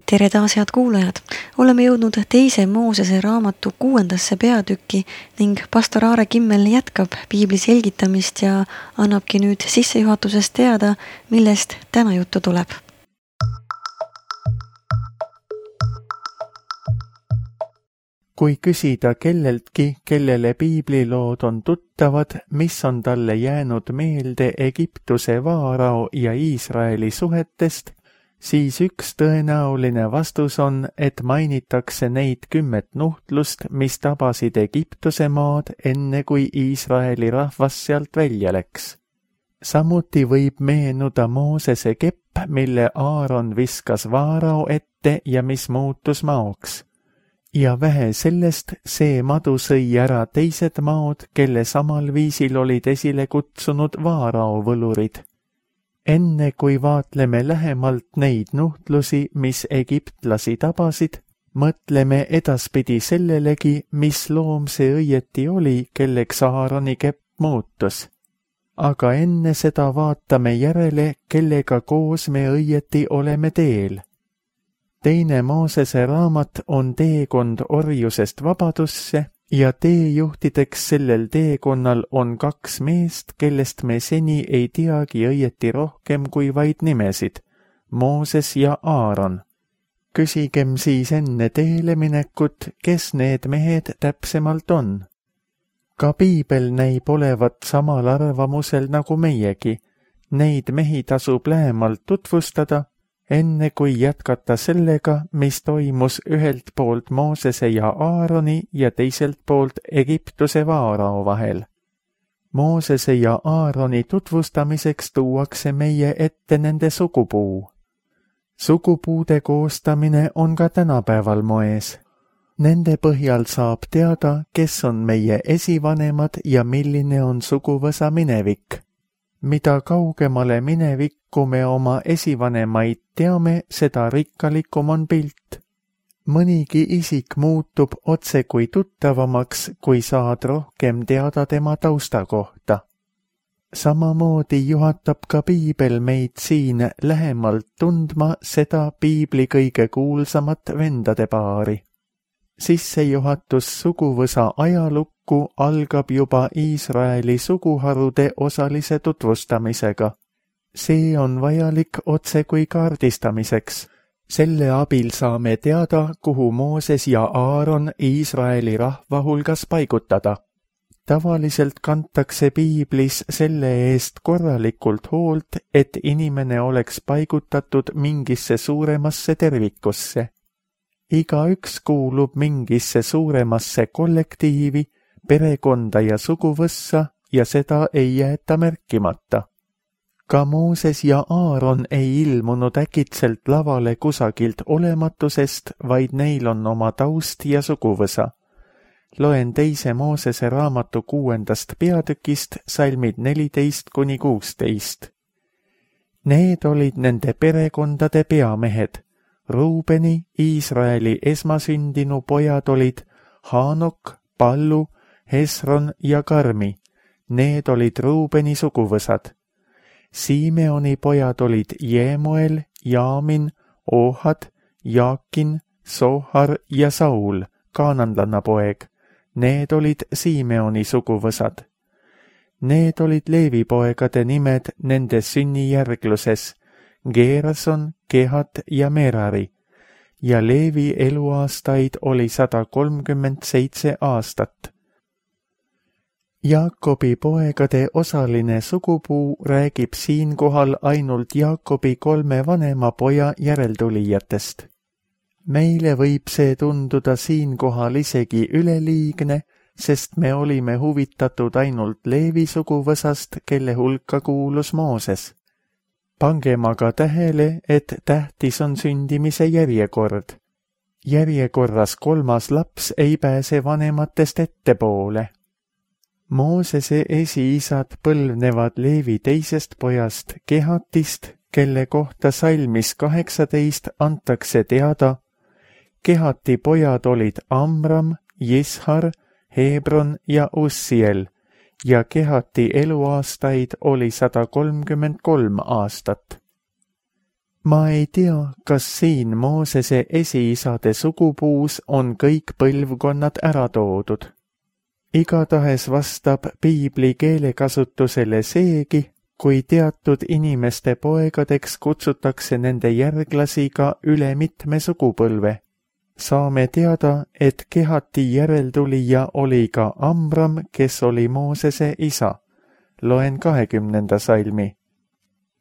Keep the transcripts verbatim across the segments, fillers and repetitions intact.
Tere taas, head kuulajad! Oleme jõudnud teise Moosese raamatu kuuendasse peatükki ning pastor Aare Kimmel jätkab piibli selgitamist ja annabki nüüd sissejuhatusest teada, millest täna juttu tuleb. Kui küsida kelleltki, kellele piiblilood on tuttavad, mis on talle jäänud meelde Egiptuse vaarao ja Iisraeli suhetest, siis üks tõenäoline vastus on, et mainitakse neid kümmet nuhtlust, mis tabasid Egiptuse maad enne kui Iisraeli rahvas sealt välja läks. Samuti võib meenuda Moosese kepp, mille Aaron viskas vaarao ette ja mis muutus maoks. Ja vähe sellest, see madu sõi ära teised maod, kelle samal viisil olid esile kutsunud vaarao võlurid. Enne kui vaatleme lähemalt neid nuhtlusi, mis egiptlasi tabasid, mõtleme edaspidi sellelegi, mis loom see õieti oli, kelleks Aaroni kepp muutus. Aga enne seda vaatame järele, kellega koos me õieti oleme teel. Teine Moosese raamat on teekond orjusest vabadusse ja teejuhtideks sellel teekonnal on kaks meest, kellest me seni ei teagi õieti rohkem kui vaid nimesid, Mooses ja Aaron. Küsigem siis enne teele minekut, kes need mehed täpsemalt on. Ka piibel näib olevat samal arvamusel nagu meiegi. Neid mehi tasub lähemalt tutvustada, enne kui jätkata sellega, mis toimus ühelt poolt Moosese ja Aaroni ja teiselt poolt Egiptuse vaarao vahel. Moosese ja Aaroni tutvustamiseks tuuakse meie ette nende sugupuu. Sugupuude koostamine on ka tänapäeval moes. Nende põhjal saab teada, kes on meie esivanemad ja milline on suguvõsa minevik. Mida kaugemale minevikku me oma esivanemaid teame, seda rikkalikum on pilt. Mõnigi isik muutub otse kui tuttavamaks, kui saad rohkem teada tema tausta kohta. Samamoodi juhatab ka piibel meid siin lähemalt tundma seda piibli kõige kuulsamat vendade paari. Sissejuhatus suguvõsa ajalukku algab juba Iisraeli suguharude osalise tutvustamisega. See on vajalik otse kui kaardistamiseks. Selle abil saame teada, kuhu Mooses ja Aaron Iisraeli rahva hulgas paigutada. Tavaliselt kantakse piiblis selle eest korralikult hoolt, et inimene oleks paigutatud mingisse suuremasse tervikusse. Igaüks kuulub mingisse suuremasse kollektiivi, perekonda ja suguvõssa ja seda ei jäeta märkimata. Ka Mooses ja Aaron ei ilmunud äkitselt lavale kusagilt olematusest, vaid neil on oma taust ja suguvõsa. Loen teise Moosese raamatu kuuendast peatükist salmid neliteist kuni kuusteist. Need olid nende perekondade peamehed. Ruubeni, Iisraeli esmasündinu pojad olid Haanok, Pallu, Hesron ja Karmi. Need olid Ruubeni suguvõsad. Simeoni pojad olid Jeemuel, Jaamin, Ohad, Jaakin, Sohar ja Saul, kaananlanna poeg. Need olid Simeoni suguvõsad. Need olid Leevi poegade nimed nende sünnijärgluses, Geerason, Kehat ja Merari, ja Leevi eluaastaid oli sada kolmkümmend seitse aastat. Jaakobi poegade osaline sugupuu räägib siinkohal ainult Jaakobi kolme vanema poja järeltulijatest. Meile võib see tunduda siinkohal isegi üleliigne, sest me olime huvitatud ainult Leevi suguvõsast, kelle hulka kuulus Mooses. Pangem aga tähele, et tähtis on sündimise järjekord. Järjekorras kolmas laps ei pääse vanematest ettepoole. Moosese esiisad põlvnevad Leevi teisest pojast Kehatist, kelle kohta salmis kaheksateist antakse teada. Kehati pojad olid Amram, Jishar, Hebron ja Ussiel, ja Kehati eluaastaid oli sada kolmkümmend kolm aastat. Ma ei tea, kas siin Moosese esiisade sugupuus on kõik põlvkonnad ära toodud. Igatahes vastab piibli keelekasutusele seegi, kui teatud inimeste poegadeks kutsutakse nende järglasi ka üle mitme sugupõlve. Saame teada, et Kehati järeltulija oli ka Amram, kes oli Moosese isa. Loen kahekümnenda salmi.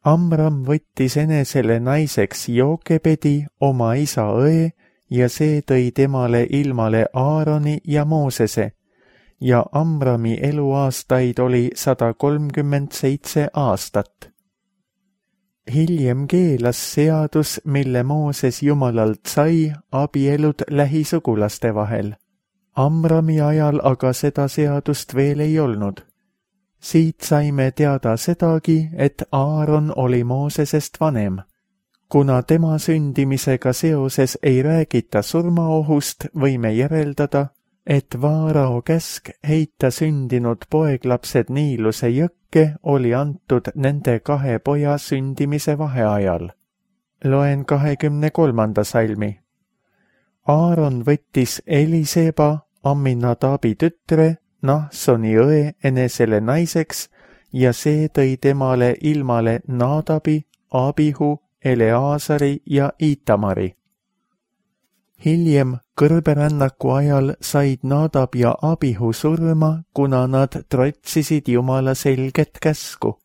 Amram võttis enesele naiseks Jookebedi, oma isa õe, ja see tõi temale ilmale Aaroni ja Moosese, ja Amrami eluaastaid oli sada kolmkümmend seitse aastat. Hiljem keelas seadus, mille Mooses Jumalalt sai, abielud lähisugulaste vahel. Amrami ajal aga seda seadust veel ei olnud. Siit saime teada sedagi, et Aaron oli Moosesest vanem. Kuna tema sündimisega seoses ei räägita surmaohust, võime järeldada, et Vaarao käsk heita sündinud poeglapsed Niiluse jõkke oli antud nende kahe poja sündimise vaheajal. Loen kahekümne kolmanda salmi. Aaron võttis Eliseba, Amminadabi tütre, Nahsoni õe enesele naiseks ja see tõi temale ilmale Nadabi, Abihu, Eleasari ja Itamari. Hiljem kõrberännaku ajal said Nadab ja Abihu surma, kuna nad trotsisid Jumala selget käsku.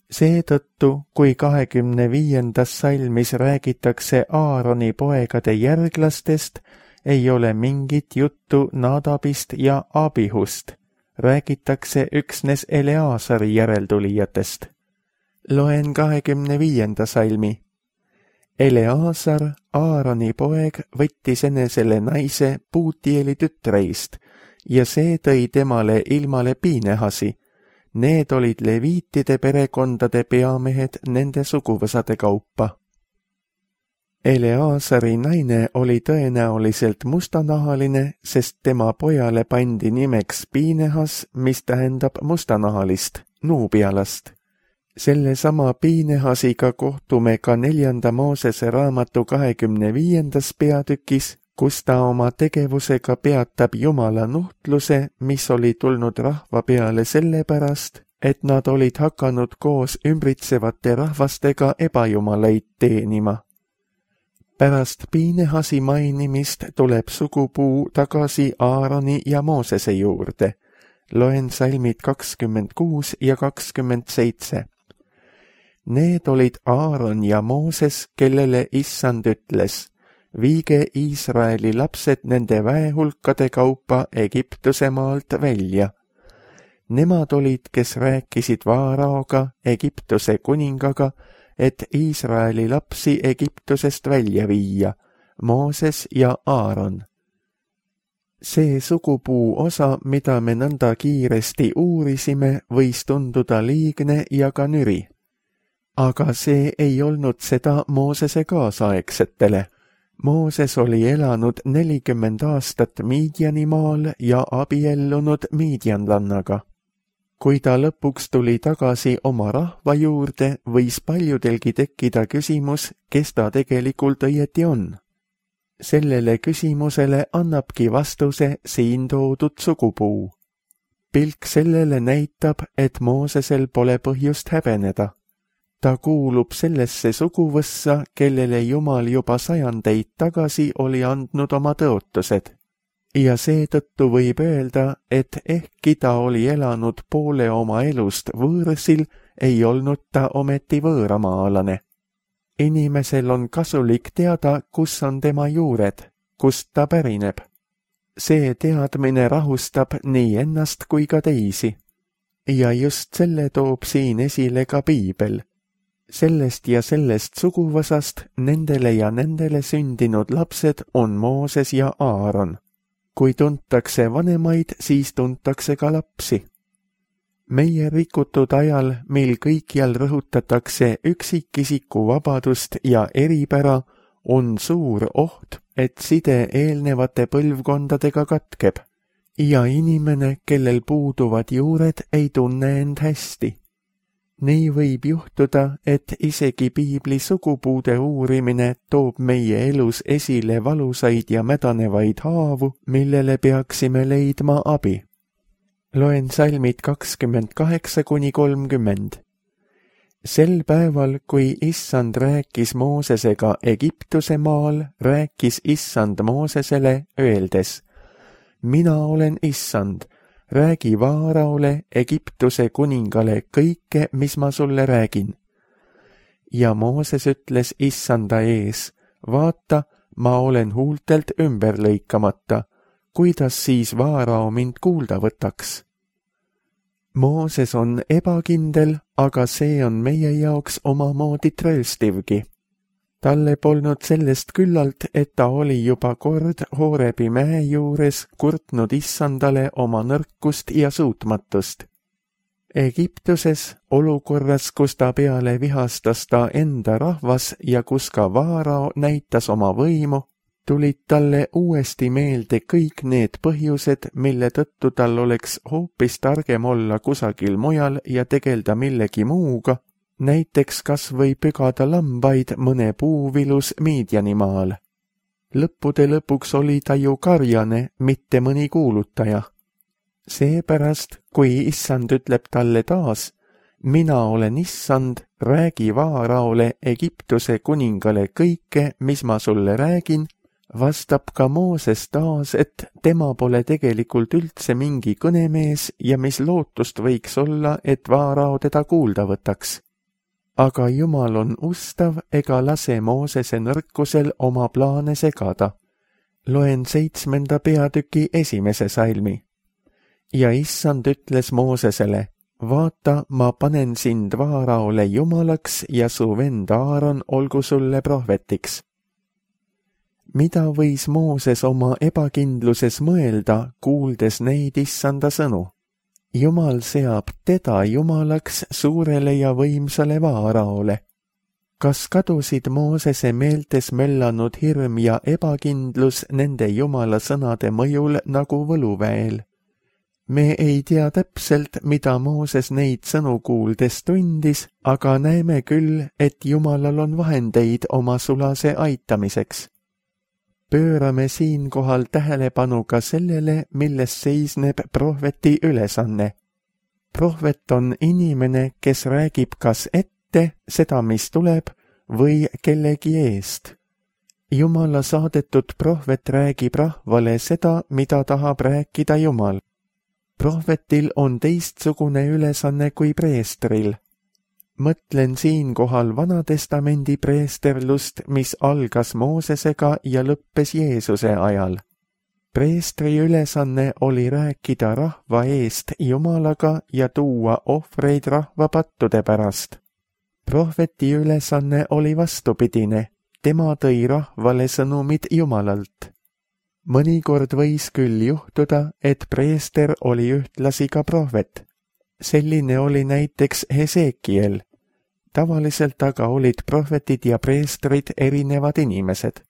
Seetõttu, kui kahekümne viiendas salmis räägitakse Aaroni poegade järglastest, ei ole mingit juttu Nadabist ja Abihust. Räägitakse üksnes Eleasari järeltulijatest. Loen kahekümne viienda salmi. Eleasar, Aaroni poeg, võttis enesele naise Puutieli tütreist ja see tõi temale ilmale Piinehasi. Need olid leviitide perekondade peamehed nende suguvõsade kaupa. Eleasari naine oli tõenäoliselt mustanahaline, sest tema pojale pandi nimeks Piinehas, mis tähendab mustanahalist, nuubialast. Selle sama Piinehasiga kohtume ka neljanda Moosese raamatu kahekümne viiendas peatükis, kus ta oma tegevusega peatab Jumala nuhtluse, mis oli tulnud rahva peale sellepärast, et nad olid hakanud koos ümbritsevate rahvastega ebajumalaid teenima. Pärast Piinehasi mainimist tuleb sugupuu tagasi Aaroni ja Moosese juurde. Loen salmid kakskümmend kuus ja kakskümmend seitse. Need olid Aaron ja Mooses, kellele issand ütles, viige Iisraeli lapsed nende väehulkade kaupa Egiptuse maalt välja. Nemad olid, kes rääkisid Vaaraoga, Egiptuse kuningaga, et Iisraeli lapsi Egiptusest välja viia, Mooses ja Aaron. See sugupuu osa, mida me nõnda kiiresti uurisime, võis tunduda liigne ja ka nüri. Aga see ei olnud seda Moosese kaasaegsetele. Mooses oli elanud nelikümmend aastat Miidjanimaal ja abiellunud miidjanlannaga. Kui ta lõpuks tuli tagasi oma rahva juurde, võis paljudelgi tekkida küsimus, kes ta tegelikult õieti on. Sellele küsimusele annabki vastuse siin toodud sugupuu. Pilk sellele näitab, et Moosesel pole põhjust häbeneda. Ta kuulub sellesse suguvõssa, kellele Jumal juba sajandeid tagasi oli andnud oma tõotused. Ja seetõttu võib öelda, et ehkki ta oli elanud poole oma elust võõrsil, ei olnud ta ometi võõramaalane. Inimesel on kasulik teada, kus on tema juured, kust ta pärineb. See teadmine rahustab nii ennast kui ka teisi. Ja just selle toob siin esile ka piibel. Sellest ja sellest suguvõsast nendele ja nendele sündinud lapsed on Mooses ja Aaron. Kui tuntakse vanemaid, siis tuntakse ka lapsi. Meie rikutud ajal, mil kõikjal rõhutatakse üksikisiku vabadust ja eripära, on suur oht, et side eelnevate põlvkondadega katkeb. Ja inimene, kellel puuduvad juured, ei tunne end hästi. Nii võib juhtuda, et isegi piibli sugupuude uurimine toob meie elus esile valusaid ja mädanevaid haavu, millele peaksime leidma abi. Loen salmid kakskümmend kaheksa kuni kolmkümmend. Sel päeval, kui Issand rääkis Moosesega Egiptuse maal, rääkis Issand Moosesele öeldes: Mina olen Issand, räägi Vaaraole, Egiptuse kuningale kõike, mis ma sulle räägin. Ja Mooses ütles Issanda ees: Vaata, ma olen huultelt ümber lõikamata, kuidas siis Vaarao mind kuulda võtaks? Mooses on ebakindel, aga see on meie jaoks omamoodi trööstivgi. Talle polnud sellest küllalt, et ta oli juba kord Hoorebi mäe juures kurtnud Issandale oma nõrkust ja suutmatust. Egiptuses, olukorras, kus ta peale vihastas ta enda rahvas ja kus ka Vaarao näitas oma võimu, tulid talle uuesti meelde kõik need põhjused, mille tõttu tal oleks hoopis targem olla kusagil mujal ja tegelda millegi muuga, näiteks kas või pügada lambaid mõne puuvilus Miidjanimaal. Lõppude lõpuks oli ta ju karjane, mitte mõni kuulutaja. Seepärast, kui Issand ütleb talle taas: Mina olen Issand, räägi Vaaraole, Egiptuse kuningale kõike, mis ma sulle räägin, vastab ka Mooses taas, et tema pole tegelikult üldse mingi kõnemees ja mis lootust võiks olla, et Vaarao teda kuulda võtaks. Aga Jumal on ustav ega lase Moosese nõrkusel oma plaane segada. Loen seitsmenda peatüki esimese salmi. Ja Issand ütles Moosesele: Vaata, ma panen sind Vaaraole jumalaks ja su vend Aaron olgu sulle prohvetiks. Mida võis Mooses oma ebakindluses mõelda, kuuldes neid Issanda sõnu? Jumal seab teda jumalaks suurele ja võimsale Vaaraole. Kas kadusid Moosese meeltes möllanud hirm ja ebakindlus nende jumala sõnade mõjul nagu võluväel? Me ei tea täpselt, mida Mooses neid sõnu kuuldes tundis, aga näeme küll, et Jumalal on vahendeid oma sulase aitamiseks. Pöörame siinkohal tähelepanu ka sellele, milles seisneb prohveti ülesanne. Prohvet on inimene, kes räägib kas ette seda, mis tuleb, või kellegi eest. Jumala saadetud prohvet räägib rahvale seda, mida tahab rääkida Jumal. Prohvetil on teistsugune ülesanne kui preestril. Mõtlen siinkohal Vanatestamendi preesterlust, mis algas Moosesega ja lõppes Jeesuse ajal. Preestri ülesanne oli rääkida rahva eest Jumalaga ja tuua ohvreid rahva pattude pärast. Prohveti ülesanne oli vastupidine, tema tõi rahvale sõnumid Jumalalt. Mõnikord võis küll juhtuda, et preester oli ühtlasi ka prohvet. Selline oli näiteks Hesekiel. Tavaliselt aga olid prohvetid ja preestrid erinevad inimesed.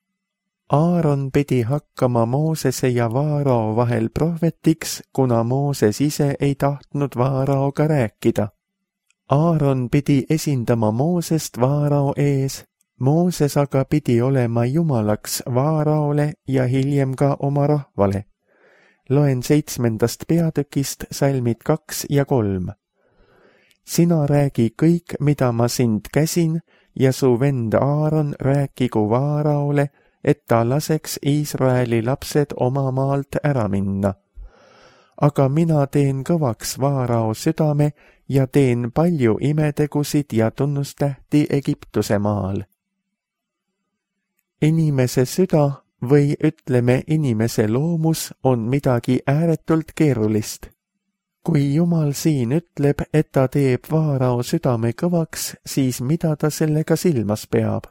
Aaron pidi hakkama Moosese ja Vaarao vahel prohvetiks, kuna Mooses ise ei tahtnud Vaaraoga rääkida. Aaron pidi esindama Moosest Vaarao ees, Mooses aga pidi olema jumalaks Vaaraole ja hiljem ka oma rahvale. Loen seitsmendast peatükist salmid kaks ja kolm. Sina räägi kõik, mida ma sind käsin, ja su vend Aaron rääkigu Vaaraole, et ta laseks Iisraeli lapsed oma maalt ära minna. Aga mina teen kõvaks Vaarao südame ja teen palju imetegusid ja tunnustähti Egiptuse maal. Inimese süda või ütleme inimese loomus on midagi ääretult keerulist. Kui Jumal siin ütleb, et ta teeb Vaarao südame kõvaks, siis mida ta sellega silmas peab?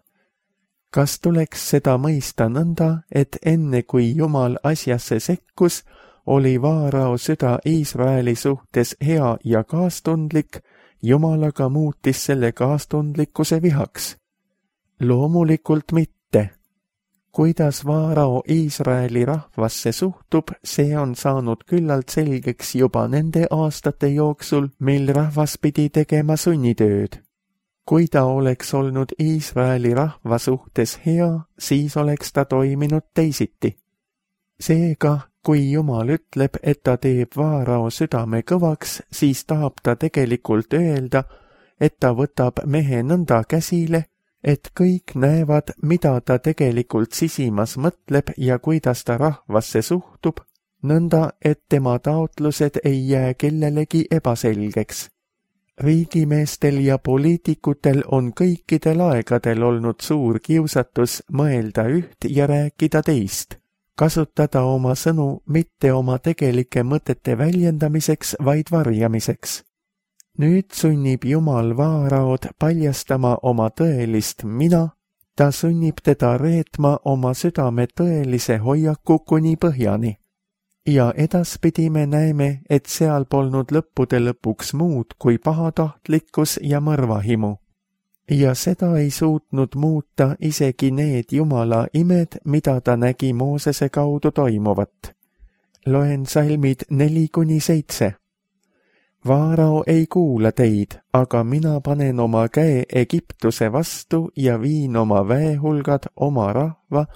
Kas tuleks seda mõista nõnda, et enne kui Jumal asjasse sekkus, oli Vaarao süda Iisraeli suhtes hea ja kaastundlik, Jumalaga muutis selle kaastundlikkuse vihaks? Loomulikult mitte. kuidas Vaarao Iisraeli rahvasse suhtub, see on saanud küllalt selgeks juba nende aastate jooksul, mil rahvas pidi tegema sunnitööd. Kui ta oleks olnud Iisraeli rahva suhtes hea, siis oleks ta toiminud teisiti. Seega, kui Jumal ütleb, et ta teeb Vaarao südame kõvaks, siis tahab ta tegelikult öelda, et ta võtab mehe nõnda käsile, et kõik näevad, mida ta tegelikult sisimas mõtleb ja kuidas ta rahvasse suhtub, nõnda, et tema taotlused ei jää kellelegi ebaselgeks. Riigimeestel ja poliitikutel on kõikidel aegadel olnud suur kiusatus mõelda üht ja rääkida teist, kasutada oma sõnu mitte oma tegelike mõtete väljendamiseks, vaid varjamiseks. Nüüd sunnib Jumal Vaaraod paljastama oma tõelist mina, ta sunnib teda reetma oma südame tõelise hoiaku kuni põhjani. Ja edaspidi me näeme, et seal polnud lõppude lõpuks muud kui pahatahtlikkus ja mõrvahimu. Ja seda ei suutnud muuta isegi need Jumala imed, mida ta nägi Moosese kaudu toimuvat. Loen salmid neli kuni seitse. Vaarao ei kuula teid, aga mina panen oma käe Egiptuse vastu ja viin oma väehulgad oma rahva,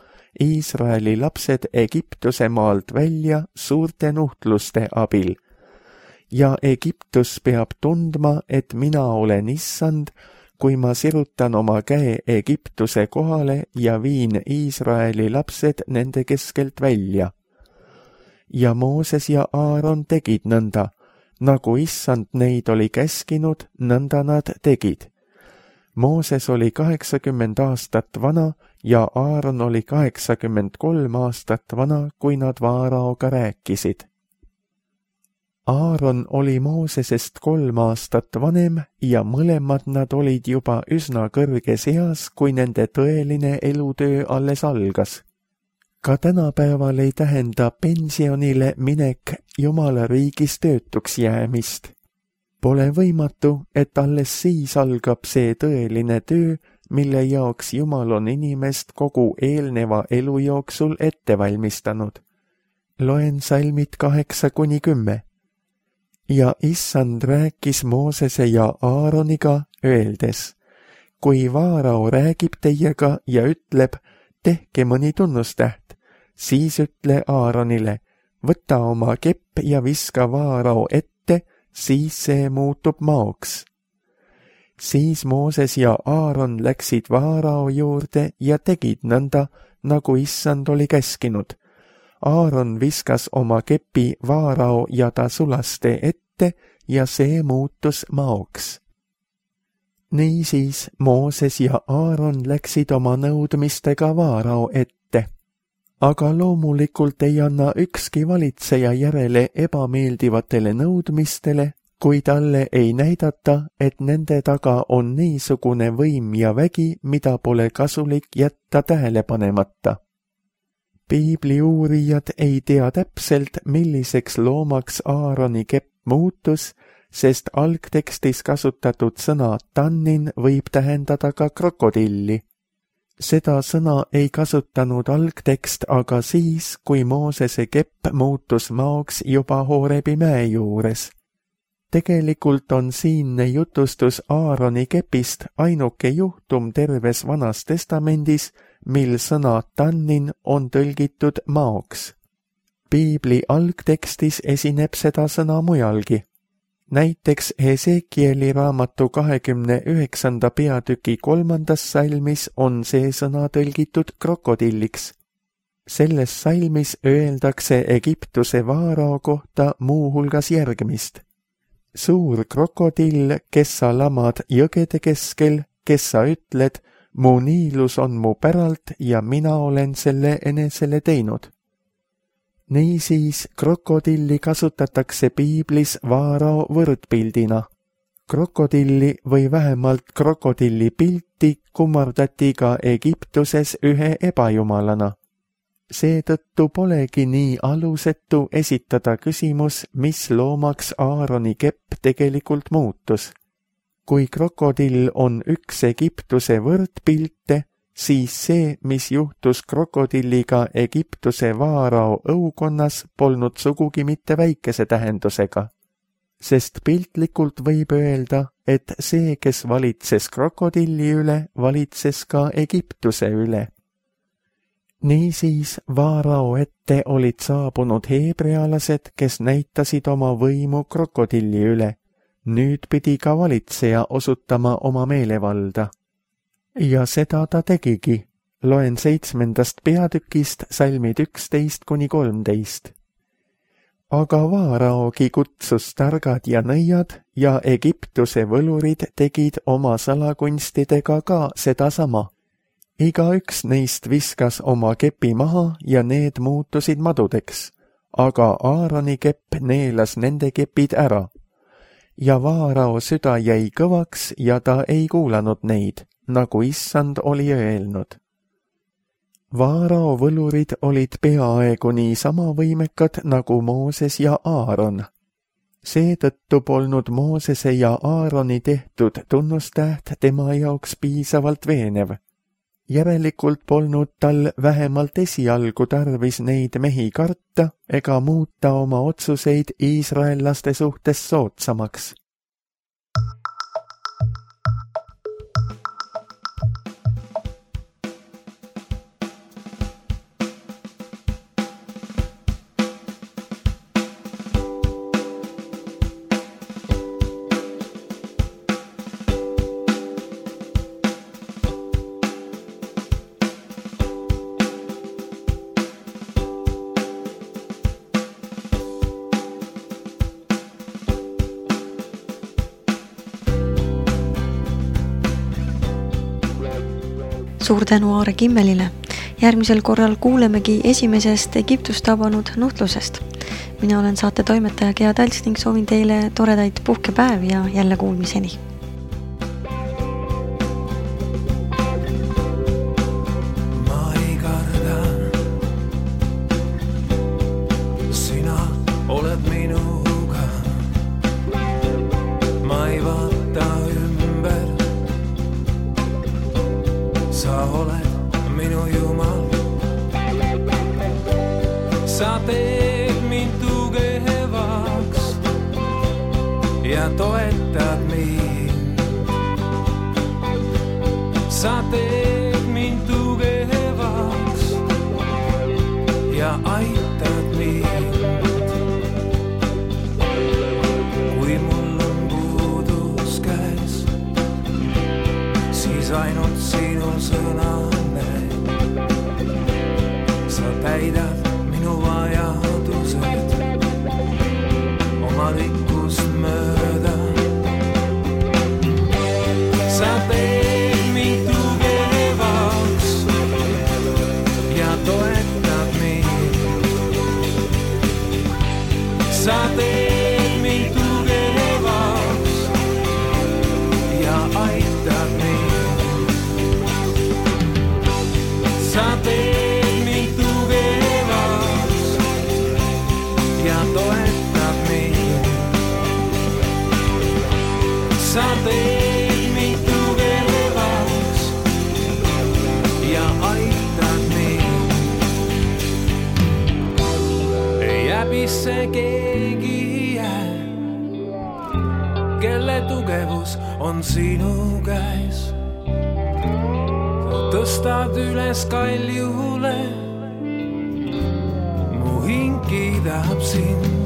Iisraeli lapsed Egiptuse maalt välja suurte nuhtluste abil. Ja Egiptus peab tundma, et mina olen issand, kui ma sirutan oma käe Egiptuse kohale ja viin Iisraeli lapsed nende keskelt välja. Ja Mooses ja Aaron tegid nõnda, nagu issand neid oli käskinud, nõnda nad tegid. Mooses oli kaheksakümmend aastat vana ja Aaron oli kaheksakümmend kolm aastat vana, kui nad Vaaraoga rääkisid. Aaron oli Moosesest kolm aastat vanem ja mõlemad nad olid juba üsna kõrges eas, kui nende tõeline elutöö alles algas. Ka tänapäeval ei tähenda pensionile minek Jumala riigis töötuks jäämist. Pole võimatu, et alles siis algab see tõeline töö, mille jaoks Jumal on inimest kogu eelneva elu jooksul ette valmistanud. Loen salmid kaheksa kuni kümme. Ja issand rääkis Moosese ja Aaroniga, öeldes, kui Vaarao räägib teiega ja ütleb, tehke mõni tunnustäht, siis ütle Aaronile, võta oma kepp ja viska Vaarao ette, siis see muutub maoks. Siis Mooses ja Aaron läksid Vaarao juurde ja tegid nõnda, nagu issand oli käskinud. Aaron viskas oma kepi Vaarao ja ta sulaste ette ja see muutus maoks. Niisiis Mooses ja Aaron läksid oma nõudmistega Vaarao ette. Aga loomulikult ei anna ükski valitseja järele ebameeldivatele nõudmistele, kui talle ei näidata, et nende taga on niisugune võim ja vägi, mida pole kasulik jätta tähele panemata. Piibli uurijad ei tea täpselt, milliseks loomaks Aaroni kepp muutus, sest algtekstis kasutatud sõna tannin võib tähendada ka krokodilli. Seda sõna ei kasutanud algtekst aga siis, kui Moosese kepp muutus maoks juba Hoorebi mäe juures. Tegelikult on siinne jutustus Aaroni kepist ainuke juhtum terves Vanas Testamendis, mil sõna tannin on tõlgitud maoks. Piibli algtekstis esineb seda sõna mujalgi. Näiteks Hesekieli raamatu kahekümne üheksanda peatüki kolmandas salmis on see sõna tõlgitud krokodilliks. Selles salmis öeldakse Egiptuse Vaarao kohta muuhulgas järgmist. Suur krokodill, kes sa lamad jõgede keskel, kes sa ütled, mu niilus on mu päralt ja mina olen selle enesele teinud. Niisiis krokodilli kasutatakse Piiblis Vaarao võrdpildina. Krokodilli või vähemalt krokodilli pilti kummardati ka Egiptuses ühe ebajumalana. Seetõttu polegi nii alusetu esitada küsimus, mis loomaks Aaroni kepp tegelikult muutus. Kui krokodill on üks Egiptuse võrdpilte, siis see, mis juhtus krokodilliga Egiptuse vaarao õukonnas, polnud sugugi mitte väikese tähendusega. Sest piltlikult võib öelda, et see, kes valitses krokodilli üle, valitses ka Egiptuse üle. Niisiis vaarao ette olid saabunud heebrealased, kes näitasid oma võimu krokodilli üle. Nüüd pidi ka valitseja osutama oma meelevalda. Ja seda ta tegigi. Loen seitsmendast peatükist salmid üksteist kuni kolmteist. Aga vaaraogi kutsus targad ja nõiad ja Egiptuse võlurid tegid oma salakunstidega ka sedasama. Igaüks neist viskas oma kepi maha ja need muutusid madudeks, aga Aaroni kepp neelas nende kepid ära. Ja vaarao süda jäi kõvaks ja ta ei kuulanud neid, nagu issand oli öelnud. Vaarao võlurid olid peaaegu nii sama võimekad nagu Mooses ja Aaron. Seetõttu polnud Moosese ja Aaroni tehtud tunnustäht tema jaoks piisavalt veenev. Järelikult polnud tal vähemalt esialgu tarvis neid mehi karta ega muuta oma otsuseid iisraellaste suhtes soodsamaks. Suur tänu Aare Kimmelile. Järgmisel korral kuulemegi esimesest Egiptust tabanud nuhtlusest. Mina olen saate toimetaja Gea Talts ning soovin teile toredaid puhkepäevi ja jälle kuulmiseni. Ma ei karda, sina oled minuga. Ma ei vaata ümber. Sa oled minu Jumal. Sa teed mind tugevaks ja toetad mind. Sa teed mind tugevaks ja aitad mind. Kui mul on puudus käes, siis ainult sinu sõna näed. Sa täidad minu vajadused oma rikkust mööda. Sa teed mind tugevaks ja toetad mind. Sa teed mind tugevaks ja aitad mind. Sa teed mind tugevaks ja toetad mind. Sa teed mind tugevaks ja aitad mind. Ei häbisse keegi jää, kelle tugevus on sinu käes. Tõstad üles kaljule, mu hing kiidab sind.